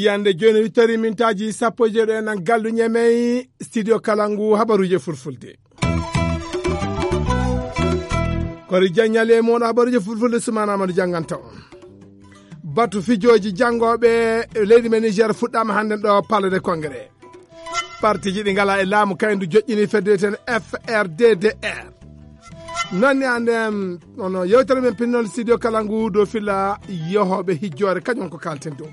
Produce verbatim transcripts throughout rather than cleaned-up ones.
Yande jooni, wittori mintaaji sappo e jeeɗo en, an gallu ñemey studio Kalangu, habaruuje fulfulde. Kori jaññale e moɗo habaruuje fulfulde, Sumaana Amadu jannganta on. Batu fijooji janngooɓe leydi men Niger fuɗɗaama hannden ɗo Palais de Congrès. Partiji ɗi ngala e laamu kayndu joƴƴini fedde ten F R D D R. Noon ni ande, em, ono yewtere men pinnol studio Kalangu dow filla yehooɓe hijjoore, kañum ko kalten dow.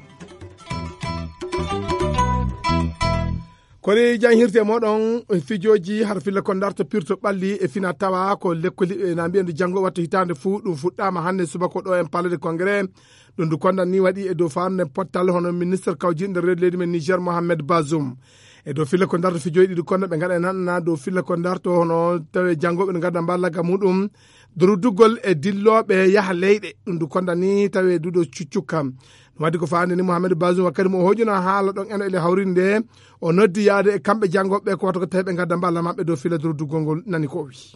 Kori jan hirte moɗon fijooji har filla ko darto pirto ɓalli e fina tawa ko lekkoli e na mbiyen janngo wattu hitaande fuu ɗum fuɗɗaama hannde subaka ɗo en Palais de Congrès. Ɗum ndu kondan ni waɗi e dow faarnde pottal hono ministre kawjinɗo reedu leydi men Niger Mohamed Bazoum. E dow filla ko darto fijooji ɗi ɗum kondan ɓe ngaɗa e nanɗana dow filla ko darto hono tawe janngo ɓe ngada mballagga muɗum. Durduggol e dillooɓe yaha leyɗe ɗum ndu kondan ni tawe duɗo cuccukka. Ɗum waɗi ko faande ni Mohamed Bazoum wakkati mo o hoƴuna haala ɗon eno ele hawrinde o noddi yaade e kamɓe janngoɓe ko wata ko tawi ɓe ngadda mballa maɓɓe dow filla durduggol ngol nani ko o wi.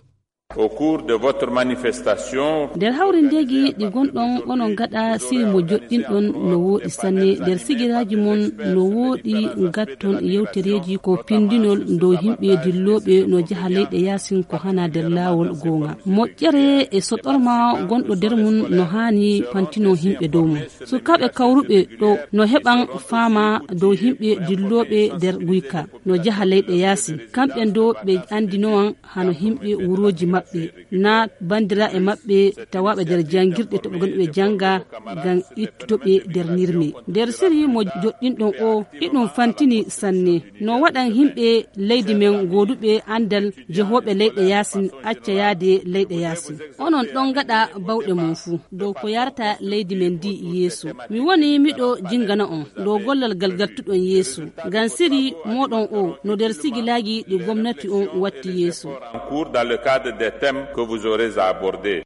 Au cours de votre manifestation, nder hawrindeeji ɗi ngonɗon onon ngaɗa siri mo joɗɗinɗon no wooɗi sanne nder sigiraaji mon no wooɗi ngatton yewtereeji ko pindinol dow yimɓe dillooɓe no jaha leyɗe yaasin ko hana nder laawol goonga moƴƴere e soɗorma gonɗo nder mum no haani pantino yimɓe dow mum sukaaɓe kawruɓe ɗo no heɓan faama dow yimɓe dillooɓe nder guyka no jaha leyɗe yaasi kamɓe ndo ɓe andinowan hano yimɓe wurooji maɓɓe na bandiraaɓe maɓɓe tawaaɓe nder janngirɗe to ɓe ngoni ɓe jannga ngam ittude ɓe nder nirme nder siri mo joɗɗinɗon o iɗum fantini sanne no waɗan yimɓe leydi men gooduɓe anndal jehooɓe leyɗe yaasin acca yaade leyɗe yaasin onon ɗon ngaɗa bawɗe mon fuu dow ko yarata leydi men ndi yeeso mi woni miɗo jingana on dow gollal ngal ngartuɗon yeeso ngam siri moɗon o no nder sigilaaji ɗi gomnati on watti yeeso en cours dans le cadre des thèmes que vous aurez à aborder.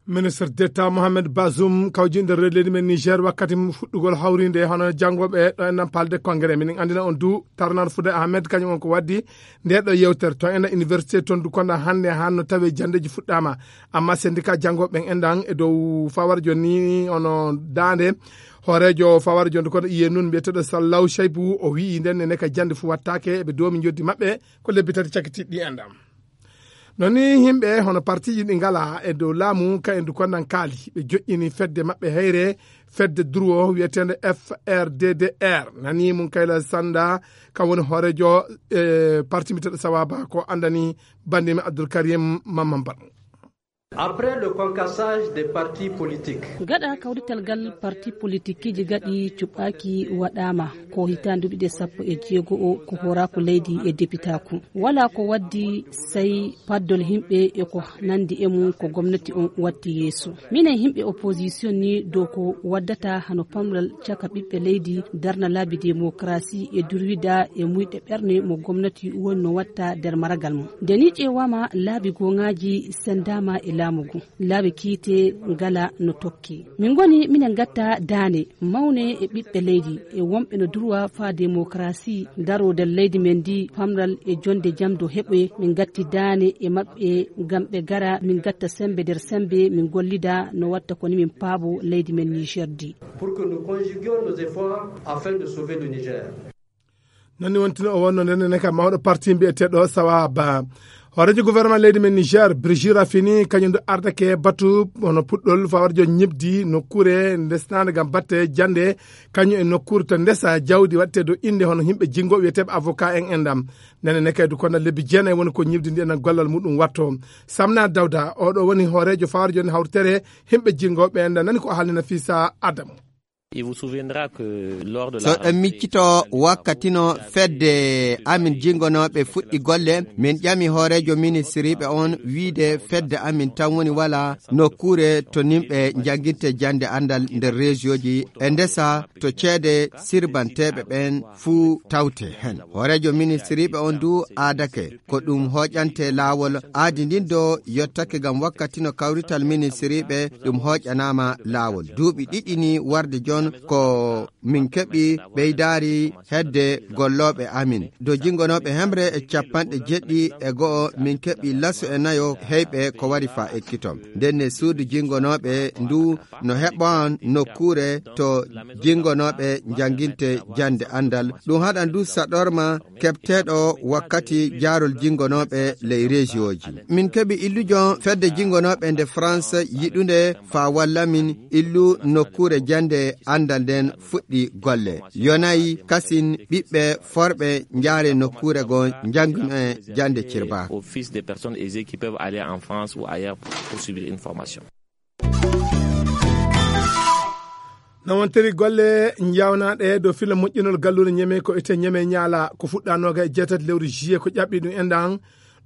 Ministre d'état Mohamed Bazoum kawjinde reedu leydi men Niger wakkati fuɗɗugol hawrinde hono janngoɓe ɗo en nan palde congrès minen andina on du tarnar fude ahmed kañum on ko waddi nde ɗo yewtere to ena université toon du konda hannde hanno tawi jandeji fuɗɗama amma syndicat janngoɓe ɓen endan e dow fawar joni ono dande hoorejo fawar joni kono iye nun mbiyeteɗo sallaw chaybu o wi'i nden nene ka jande fu wattake eɓe domi joddi maɓɓe ko lebbi tati cakkitiɗɗi enɗam. Non ni yimɓe hono partiji ɗi ngala e dow laamu ka en du kondan kaali ɓe joƴƴini fedde maɓɓe heyre fedde durwo wiyetende F R D D R nani mum kayla sanda ka woni hoorejo e parti miteɗo sawaba ko andani bandimi Abdoul Karim Mamman Ban. Après le concassage des partis politiques. Gaɗa kawrital ngal parti politikiji gaɗi cuɓɓaki waɗama ko hitande duuɓi ɗe sappo e jeego o ko horaku leydi e depitaku wala ko waddi sai paddol yimɓe e ko nandi e mum ko gomnati on watti yeeso minen yimɓe opposition ni dow ko waddata hano pamral caka ɓiɓɓe leydi darna laabi démocratie e durwida e muyɗe ɓerne mo gomnati woni no watta nder maragal mum nde ni ƴeewama laabi goŋaji sendama e laamu ngu laabi kiite ngala no tokki min ngoni minen gatta daane mawne e ɓiɓɓe leydi e wonɓe no durwa faa démocratie daro nder leydi men ndi pamral e jonde jam do heɓoye min gatti daane e maɓɓe ngam ɓe gara min gatta sembe nder sembe min gollida no watta koni min paabo leydi men Niger ndi. Pour que nous conjuguions nos efforts afin de sauver le Niger. Non ni wontino o wonno nden ne ka mawɗo parti mbiyeteɗo sawa ba hoorejo gouvernement leydi men Niger Brigitte Raffini kañum ɗo ardake batu hono puɗɗol fawarjo ñibdi nokkure ndesnande ngam batte jande kañum e nokkure to ndesa jawdi waɗte dow innde hono yimɓe jinngo wiyeteeɓe avocat en endam nene ne kaydu kono lebbi jeenayi woni ko ñibdi ndi enen gollal muɗum watto. Samna Dawda oɗo woni hoorejo fawarjo ni hawtere yimɓe jinngo ɓe enda nani ko haalnina Fisa Adamu. So ɗon miccito wakkati no fedde amin jingonooɓe fuɗɗi golle min ƴami hooreejo ministiriiɓe on wiide fedde amin tan woni wala nokkuure to nimɓe njanginte jannde anndal nder reesiyooji e ndesa to ceede sirbanteeɓe ɓen fuu tawte hen hooreejo ministiriiɓe on du aadake ko ɗum hooƴante laawol aadi ndin do yottake ngam wakkati no kawrital ministiriiɓe ɗum hooƴanaama laawol duuɓi ɗiɗi ni warde jon ko min keɓi ɓeydaari hedde gollooɓe amin. Dow jinngonooɓe hemre e capanɗe jeɗɗi e go'o, min keɓi laso e nayo heyɓe ko wari faa ekkiton. Ndenne suudu jinngonooɓe ndu no heɓan nokkuure to jinngonooɓe njannginte jannde anndal. Ɗum haɗan du saɗorma keɓteeɗo wakkati jaarol jinngonooɓe ley rejiyooji. Min keɓi illujo fedde jinngonooɓe nde France yiɗunde faa walla min illu nokkuure jannde anndal nden fuɗɗi golle. Yonayi kasin ɓiɓɓe forɓe njaare nokkuure goo njannginee jannde cirbaaku. Au fils des personnes aisées qui peuvent aller en France ou ailleurs pour suivre une formation. No wontiri golle njawnaaɗe dow filla moƴƴinol galluure Ñeme ko ete Ñeme Ñaala ko fuɗɗanooga e jeetati lewru juillet ko ƴaɓɓi ɗum enɗan.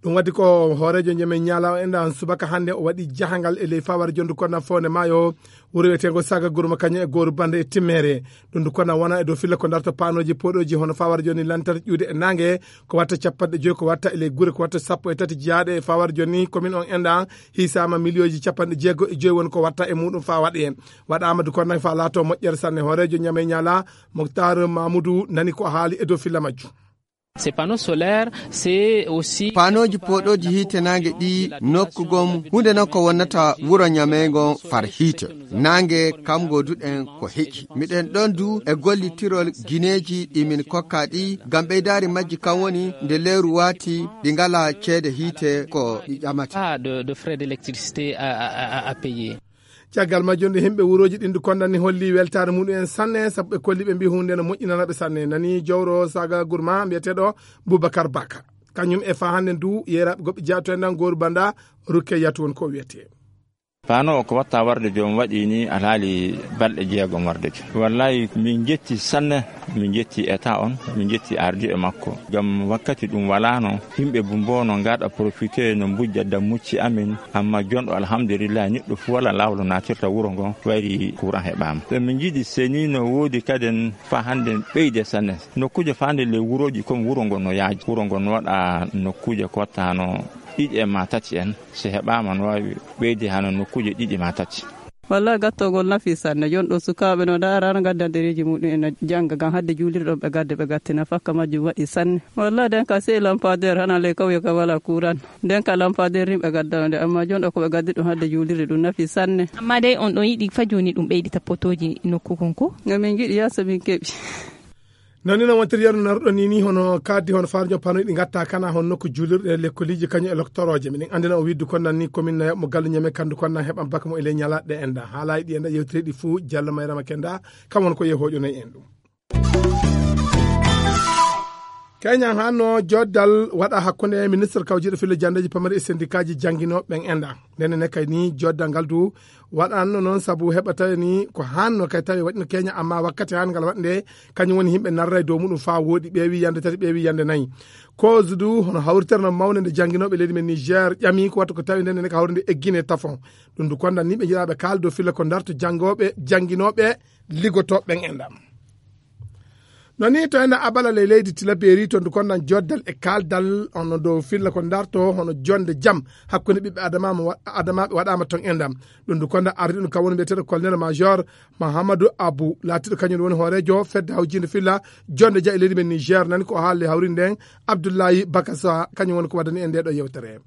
Ɗum waɗi ko hooreejo Ñeme Ñaala o enɗan subaka hannde o waɗi jahangal e ley fawar jondu konna fowne maayo wuro wiyeteengo Saga Gurma kañum e gooru bannde e timmeere. Ɗum ndu konna wona e dow filla ko darta paanooji pooɗooji hono fawar joni lantarki ƴuude e naange ko watta capanɗe joyi ko watta e ley gure ko watta sappo e tati jeyaaɗe e fawar joni commune on enɗan hiisaama miliyooji capanɗe jeego e joyi woni ko watta e muɗum faa waɗe. Waɗaama du konna faa laato moƴƴere sanne hooreejo Ñame Ñaala Moktar Mamoudou nani ko haali e dow filla majjum. Ces panneaux solaires, c'est aussi panooji pooɗooji hiite naange ɗi nokku gom huunde non ko wonnata wuro Ñamey ngon far hiite. Naange kam ngoduɗen ko heƴi. Miɗen ɗon du e gollitirol gineeji ɗi min kokka ɗi ngam ɓeydaari majji kam woni nde lewru waati ɗi ngalaa ceede hiite ko ɗi ƴamata. Ah, de, de frais d'électricité à, à, à, à payer. Caggal majjum nde yimɓe wurooji ɗin du konnani holli weltaare muɗum en sanne sabu ɓe kolli ɓe mbi huunde no moƴƴinana ɓe sanne nani jowro Saga Gurma mbiyeteeɗo Boubacar Baka. Kañum e faa hannde ndu yeeraaɓe goɓɓe jaato en nan gooru banda rukke yatu won ko wiyetee. Paano o ko watta warde joom waɗi ni alhaali balɗe jeegom warde joom. Wallahi min jetti sanne, min jetti état on, min jetti ardi e makko. Ngam wakkati ɗum walaano, yimɓe bumbo no ngaɗa profité no mbujja dammucci amin, amma jonɗo alhamdulillah niɗɗo fu wala lawlo natirta wuro ngo wayri courant heɓaama. Ɓe min jiɗi seni no woodi kaden fa hande ɓeyde sanne. Nokkuje fa hande le wuroji comme wuro ngo no yaaji. Wuro ngo no waɗa nokkuje ko watta hano ɗiɗi e ma tati en. Si heɓaama no waawi ɓeyde hano nokkuuje ɗiɗi ma tati. Wallay gattogol nafi sanne. Jon ɗo sukaaɓe no ndaara no gadda dereji muɗum en no jannga ngam hadde juulirɗon ɓe gadde ɓe gattina fakka majjum waɗi sanne. Wallay nden ka sey lampadeer hana ley kawye ka wala kuuran. Nden ka lampadeer nin ɓe gaddano nde amma jon ɗo ko ɓe gaddi ɗum hadde juulirde ɗum nafi sanne. Amma dey on ɗon yiɗi fa jooni ɗum ɓeydi tappotooji nokku kon ko? No min ngiɗi yaso min keɓi. Nani no wontiri yarno narɗo ni ni hono kaddi hono farjo panoy ɗi gatta kana hon nokku julirɗe lekkoliji kañum e loktorooje. Miɗen anndina o widdu kon nan ni komin na mo gallu ñame kandu kon nan heɓan baka mo e ley ñalaɗe en da. Haalayi ɗi en da yewtiri ɗi fuu Jallo Mayrama Kenda kam won ko yehoƴo noy en ɗum. Keñan hanno joddal waɗa hakkunde ministre kawjiɗo filo jandeji pamari e sendikaji jannginooɓe ɓen en da. Ndenne ne kay ni joddal ngal du waɗanno noon sabu heɓa tawi ni ko hanno kay tawi waɗino keña amma wakkati han ngal waɗnde kañum woni yimɓe narra e dow muɗum fa woɗi ɓeewi yande tati ɓeewi yande nayi. Cause du hono hawriterno mawne nde jannginooɓe leydi men Niger ƴami ko watta ko tawi ndenne ne ko hawrinde eggine tafon. Ɗum du kondan ni ɓe jiraɓe kaaldo filla ko darto janngooɓe jannginooɓe ligotooɓe ɓen en ɗam. No ni to ena abala ley leydi tilaberi to ndu konnan joddal e kaaldal ono dow filla ko darto hono jonde jam hakkunde ɓiɓɓe adama adamaɓe waɗama ton endam. Ɗum ndu konda ardi ɗum kam woni mbiyeteɗo colonel major mahamadou abou laatiɗo kañum woni hoorejo fedde hawjinde filla jonde ja e leydi men niger nani ko haalde hawri nden. Abdoullahi bakasa kañum woni ko waddani en nde ɗo yewtere.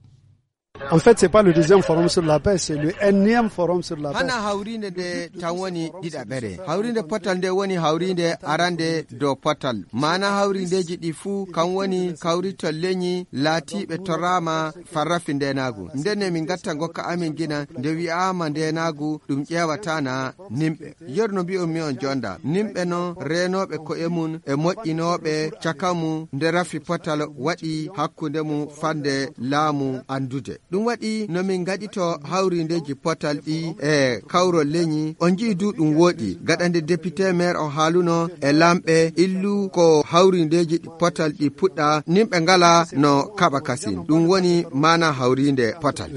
En fait, c'est pas le deuxième forum sur la paix, c'est le énième forum sur la paix. Hana hawrinde nde tan woni ɗiɗaɓere. Hawrinde potal nde woni hawrinde arande dow potal. Maana hawrindeji ɗi fuu kan woni kawritol leñi laatiiɓe torraama farrafi ndenaagu. Ndenne min ngatta ngokka amin gina nde wi'aama ndenaagu ɗum ƴeewataana nimɓe. Yer no mbi'on mi on jonda. Nimɓe non reenooɓe ko'e mum e moƴƴinooɓe caka mum nde rafi potal waɗi hakkunde mum fande laamu anndude. Ɗum waɗi no min ngaɗito hawrindeeji potal ɗi e kawrol leñi. On nji'i du ɗum wooɗi. Gaɗa nde député maire on haaluno e lamɓe illu ko hawrindeeji ɗi potal ɗi puɗɗa, nimɓe ngala no kaɓa kasin. Ɗum woni maana hawrinde potal.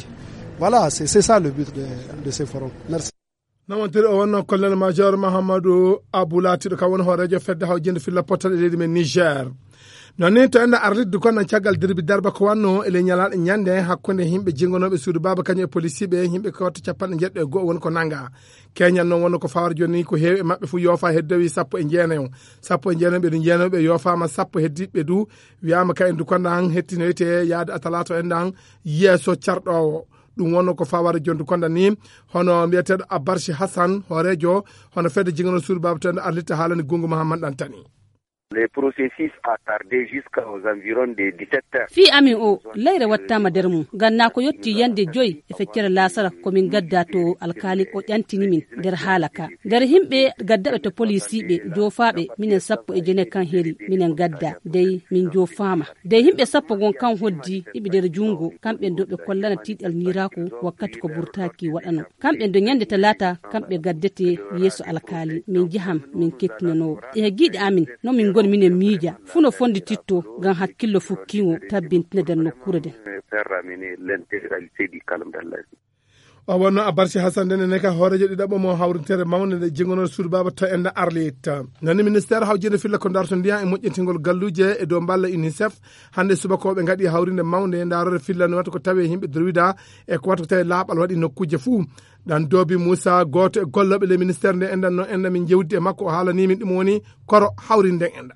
Voilà, c'est, c'est ça le but de, de ce forum. Merci. No wontiri o wonno colonel major Mahamadou Abou laatiɗo kam woni hoorejo fedde hawjinde filla potal e leydi men Niger. Noon ni to enɗa arlitde kon caggal dirbi darba ko wanno e ley ñalaaɗo ñande hakkunde yimɓe jingonooɓe suudu baaba kañum e polisiiɓe, yimɓe kewta capanɗe jeeɗiɗo e go'o woni ko nannga. Keñal noon wonno ko fawar jooni ko heewi e maɓɓe fof yoofa heddowi sappo e jeenayo. Sappo e jeenayo ɓe ɗum jeenayo ɓe yoofaama, sappo heddiiɓe du wiyaama ka en du konda han hettinoyte yaade a talaato en ɗan yeeso carɗoowo. Ɗum wonno ko fawar jooni du konda ni, hono mbiyeteeɗo Abarsi Hassan, hooreejo hono fedde jingono suudu baaba to enɗa arlitta haalani Gungu Mahamman Ɗantani. Le processus a tardé jusqu'aux environs de dix-sept heures. Fii amin o, layre wattaama nder mum, ngam naa ko yotti yande joy e feccere laasara ko min ngadda to alkaali o ƴantini min nder haala ka. Nder yimɓe gaddaɓe to polisiiɓe joofaaɓe, minen sappo e jene kan heri, minen ngadda, dey min joofaama. Dey yimɓe sappo gon kan hoddi iɓe nder junngo, kamɓe ɗo ɓe kollana tiiɗal niiraaku wakkati ko burtaaki waɗano. Kamɓe ɗo ñande talaata, kamɓe gaddete yeeso alkaali, min jahan, min kettinanoo. E giiɗe amin, no min ngoni minen miija, fuu no fonndititto, ngam hakkillo fukkiingo tabbintina nder nokkuure nden. Faire ramener l'intégralité du calme dans la vie. O wonno Abarsi Hassan nden ne ka hooreejo ɗiɗaɓo mo hawrintere mawnde nde jingonoo suudu baaba to enɗa arlit. Nani ministère hawjinde filla ko darto ndiyan e moƴƴintingol galluuje e dow mballa UNICEF, hannde subakooɓe ngaɗi hawrinde mawnde ndaarore filla no wata ko tawi yimɓe durwida e ko wata ko tawi laaɓal waɗi nokkuuje fuu. Ɗan doobi Moussa, gooto e gollooɓe le ministère nde enɗan no enɗa min jewdi e makko, o haalani min ɗum woni koro hawrinde enɗa.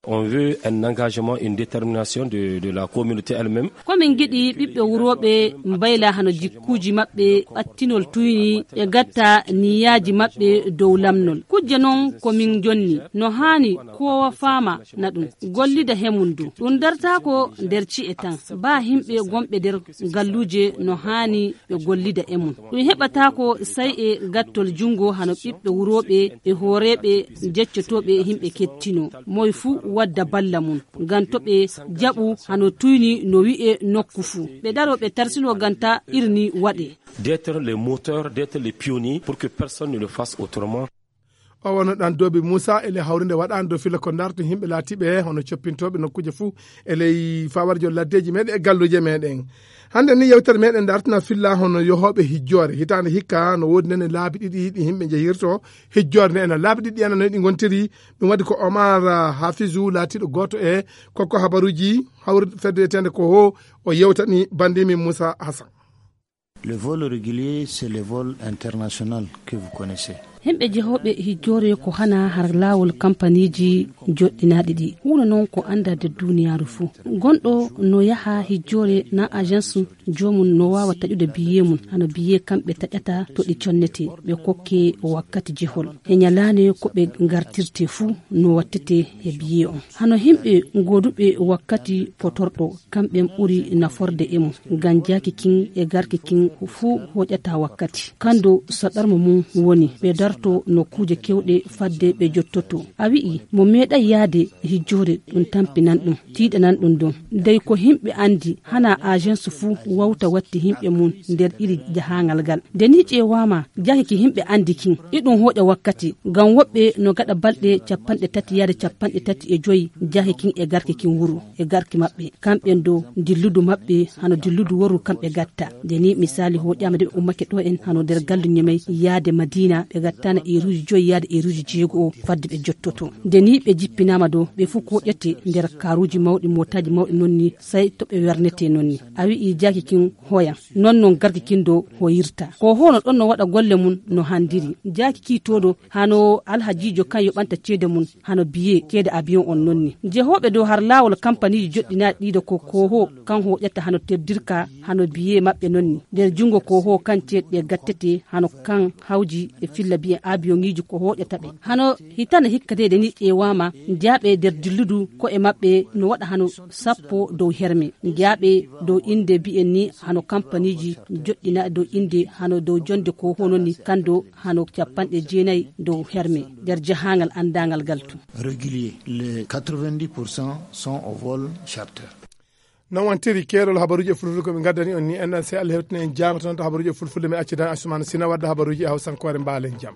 On veut un engagement, une détermination de, de la communauté elle-même. Ko min ngiɗi ɓiɓɓe wurooɓe mbayla hano jikkuuji maɓɓe, ɓattinol tuyni, ɓe gatta niyaaji maɓɓe dow lamnol. Kujje non ko min jonni, no haani koowa faama na ɗum, gollida he mum du. Ɗum dartaako nder ci'e tan, baa himɓe gonɓe nder galluuje no haani ɓe gollida e mum. Ɗum heɓataako sai e gattol junngo hano ɓiɓɓe wurooɓe e hooreeɓe jeccotooɓe himɓe kettinoo. Moy fuu wadda balla mum, ngam to ɓe jaɓu hano tuyni no wi'e nokku fuu. Ɓe daroo ɓe tarsinoo ngam ta irni waɗe. D'être les moteurs, d'être les pionniers pour que personne ne le fasse autrement. O wonno ɗan doobi Moussa e ley hawrinde waɗaande dow filla ko ndarto himɓe laatiiɓe hono coppintooɓe nokkuuje fuu e ley fawarjo laddeeji meɗen e galluuje meɗen. Hannde ni yewtere meɗen dartina filla hono yohooɓe hijjoore. Hitaande hikka no woodi nene laabi ɗiɗi ɗi himɓe njehirto hijjoore nde ena laabi ɗiɗi ena no ɗi ngontiri. Ɗum waɗi ko Omar, ah, Hafizou laatiiɗo gooto e kokko habaruuji hawr-, fedde wiyeteende ko ho o yewtani bandimi Moussa Hassan. Le vol régulier, c'est le vol international que vous connaissez. Himɓe jehooɓe hijjoore ko hana har laawol kampaniiji joɗɗinaaɗi ɗi. Huuna noon ko anndaa nder duuniyaaru fuu. Gonɗo no yaha hijjoore na agence joomum no waawa taƴude biyee mum, hano biyee kamɓe taƴata to ɗi connetee, ɓe kokkee wakkati jehol. E ñalaande ko ɓe ngartirtee fuu no wattete e biyee on. Hano himɓe gooduɓe wakkati potorɗo, kamɓen ɓuri naforde e mum, ngam jaaki kin e garki kin fuu hoƴata wakkati. Kando saɗarmo mum woni ɓe darto nokkuuje kewɗe fadde ɓe jottoto. A wi'i mo meeɗay yaade hijjoore, ɗum tampinan ɗum, tiiɗanan ɗum ɗon. Dey ko himɓe andi, hana agence fuu wawta watti himɓe mum nder iri jahaangal ngal. Nde ni ƴeewaama, jaaki ki himɓe andi kin, iɗum hoƴa wakkati, ngam woɓɓe no gaɗa balɗe capanɗe tati yaade capanɗe tati e joyi jaaki kin e garki kin wuro, e garki maɓɓe. Kamɓen do dilludu maɓɓe, hano dilludu woru kamɓe gatta. Nde ni misali hoƴaama de ɓe ummake ɗo en hano nder gallu Ñemey yaade Madina, ɓe gattana eruuji joyi yaade eruuji jeego o fadde ɓe jottoto. Nde ni ɓe jippinaama do, ɓe fuu koƴete nder karuuji mawɗi, mootaaji mawɗi non ni, sai to ɓe wernete non ni. A wi'i jaaki kin hoya. Non non garki kin do hoyirta. Ko hono ɗon no waɗa golle mum no handiri. Jaaki ki todo hano alhajiijo kan yoɓanta ceede mum hano biyee ceede abiyon on non ni. Jehooɓe dow har laawol kampaniiji joɗɗinaaɗi ɗiɗo ko Koho kan hoƴata hano terdirka hano biyee maɓɓe non ni. Nder junngo Koho kan ceeɗe ɗe gattete hano kan hawji e filla biyen abiyoŋiiji ko hoƴata ɓe. Hano hitande hikkateede ni ƴeewaama, njaaɓe nder dilludu ko'e maɓɓe no waɗa hano sappo dow herme. Njaaɓe dow innde biyen ni hano kampaniiji joɗɗinaaɗi dow innde hano dow jonnde ko hono ni kando hano capanɗe jeenayi dow herme nder jahaangal anndaangal ngal tun. Régulier, les quatre-vingt-dix pour cent sont au vol charter. Non wantiri keerol habaruuji e fulfulde ko ɓe ngaddani on ni, enɗan sey Allah hewtina en jaango tan to habaruuji e fulfulde, mi accidan Asumana Sina wadda habaruuji e hawsankoore. Mbaalen jam.